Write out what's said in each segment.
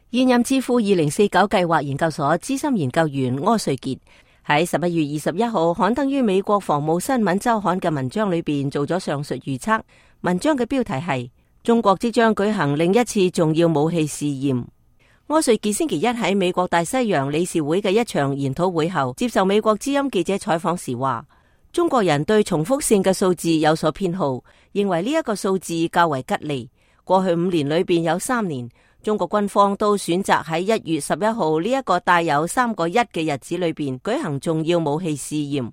現任智庫2049計劃研究所資深研究員柯瑞傑喺11月21號刊登於美國防務新聞週刊嘅文章裏邊做咗上述預測。文章嘅標題係中國即將舉行另一次重要武器試驗。柯瑞傑星期一喺美國大西洋理事會嘅一場研討會後，接受美國之音記者採訪時話，中國人對重複性嘅數字有所偏好，認為呢一個數字較為吉利。過去5年裏邊有3年，中國軍方都選擇喺1月11號呢一個帶有3個1嘅日子裏邊舉行重要武器試驗。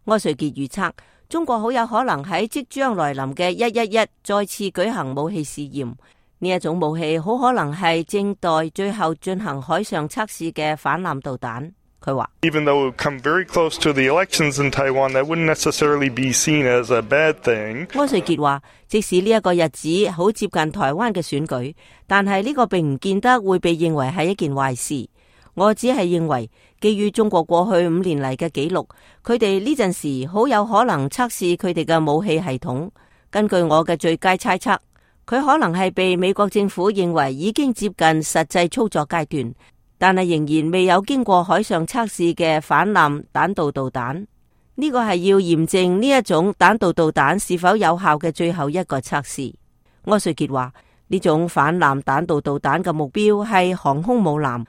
柯瑞傑預測，中國好有可能喺即將來臨嘅111再次舉行武器試驗。呢一種武器好可能係正待最後進行海上測試嘅反艦導彈。佢話，Even though it would come very close to the elections in Taiwan, that wouldn't necessarily be seen as a bad thing. 柯瑞傑話，即使呢一個日子好接近台灣嘅選舉，但係呢個並唔見得會被認為係一件壞事。我只係認為，基於中國過去5年嚟嘅記錄，佢哋呢陣時好有可能測試佢哋嘅武器系統。根據我嘅最佳猜測，佢可能係被美國政府認為已經接近實際操作階段，但係仍然未有經過海上測試嘅反艦彈道導彈。呢個係要驗證呢一種彈道導彈是否有效嘅最後一個測試。柯瑞傑話，呢種反艦彈道導彈嘅目標係航空母艦。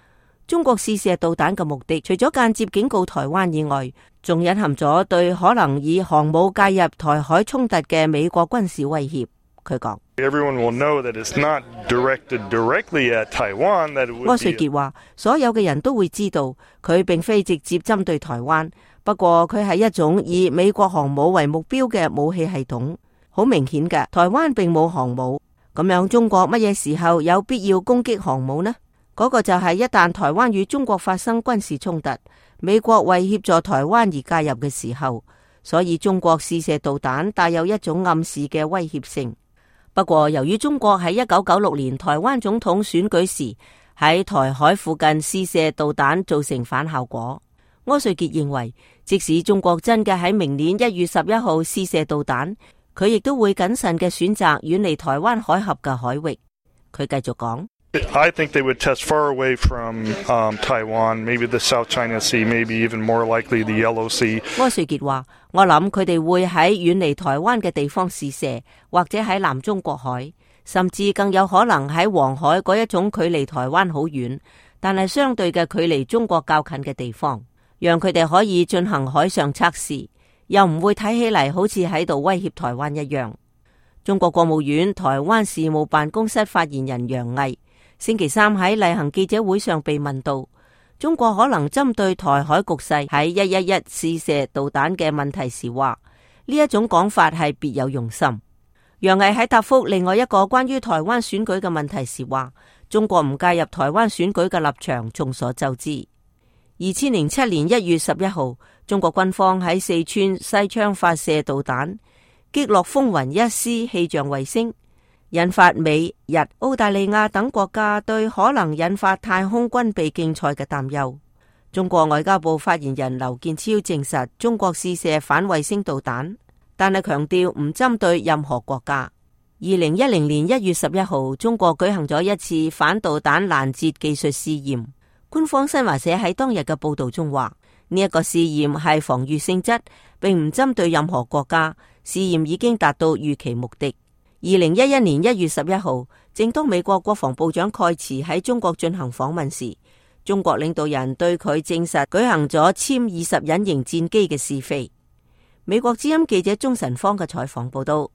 中國試射導彈嘅目的，除咗間接警告台灣以外，仲隱含咗對可能以航母介入台海衝突嘅美國軍事威脅。佢講，柯瑞傑話，所有嘅人都會知道佢並非直接針對台灣，不過佢係一種以美國航母為目標嘅武器系統。好明顯嘅，台灣並冇航母，咁樣中國乜嘢時候有必要攻擊航母呢？嗰個就係一旦台灣與中國發生軍事衝突，美國為協助台灣而介入嘅時候，所以中國試射導彈帶有一種暗示嘅威脅性。不過，由於中國喺1996年台灣總統選舉時喺台海附近試射導彈造成反效果，柯瑞傑認為，即使中國真嘅喺明年1月11號試射導彈，佢亦都會謹慎嘅選擇遠離台灣海峽嘅海域。佢繼續講，I think they would test far away from Taiwan, maybe the South China Sea, maybe even more likely the Yellow Sea. 柯瑞傑話，我諗佢哋會喺遠離台灣嘅地方試射，或者喺南中國海，甚至更有可能喺黃海嗰一種距離台灣好遠，但係相對嘅距離中國較近嘅地方，讓佢哋可以進行海上測試，又唔會睇起嚟好似喺度威脅台灣一樣。中國國務院台灣事務辦公室發言人楊毅星期三喺例行記者會上被問到中國可能針對台海局勢喺111試射導彈嘅問題時，話呢一種講法係別有用心。楊毅喺答覆另外一個關於台灣選舉嘅問題時話，中國唔介入台灣選舉嘅立場眾所周知。2007年1月11號，中國軍方喺四川西昌發射導彈，擊落風雲1C氣象衛星，引發美、日、澳大利亞等國家對可能引發太空軍備競賽嘅擔憂。中國外交部發言人劉建超證實中國試射反衛星導彈，但係強調唔針對任何國家。2010年1月11號，中國舉行咗一次反導彈攔截技術試驗。官方新華社喺當日嘅報道中話，呢一個試驗係防禦性質，並唔針對任何國家。試驗已經達到預期目的。2011年1月11號，正當美國國防部長蓋茨喺中國進行訪問時，中國領導人對佢證實舉行咗殲20隱形戰機嘅試飛。美國之音記者鍾晨芳嘅採訪報道。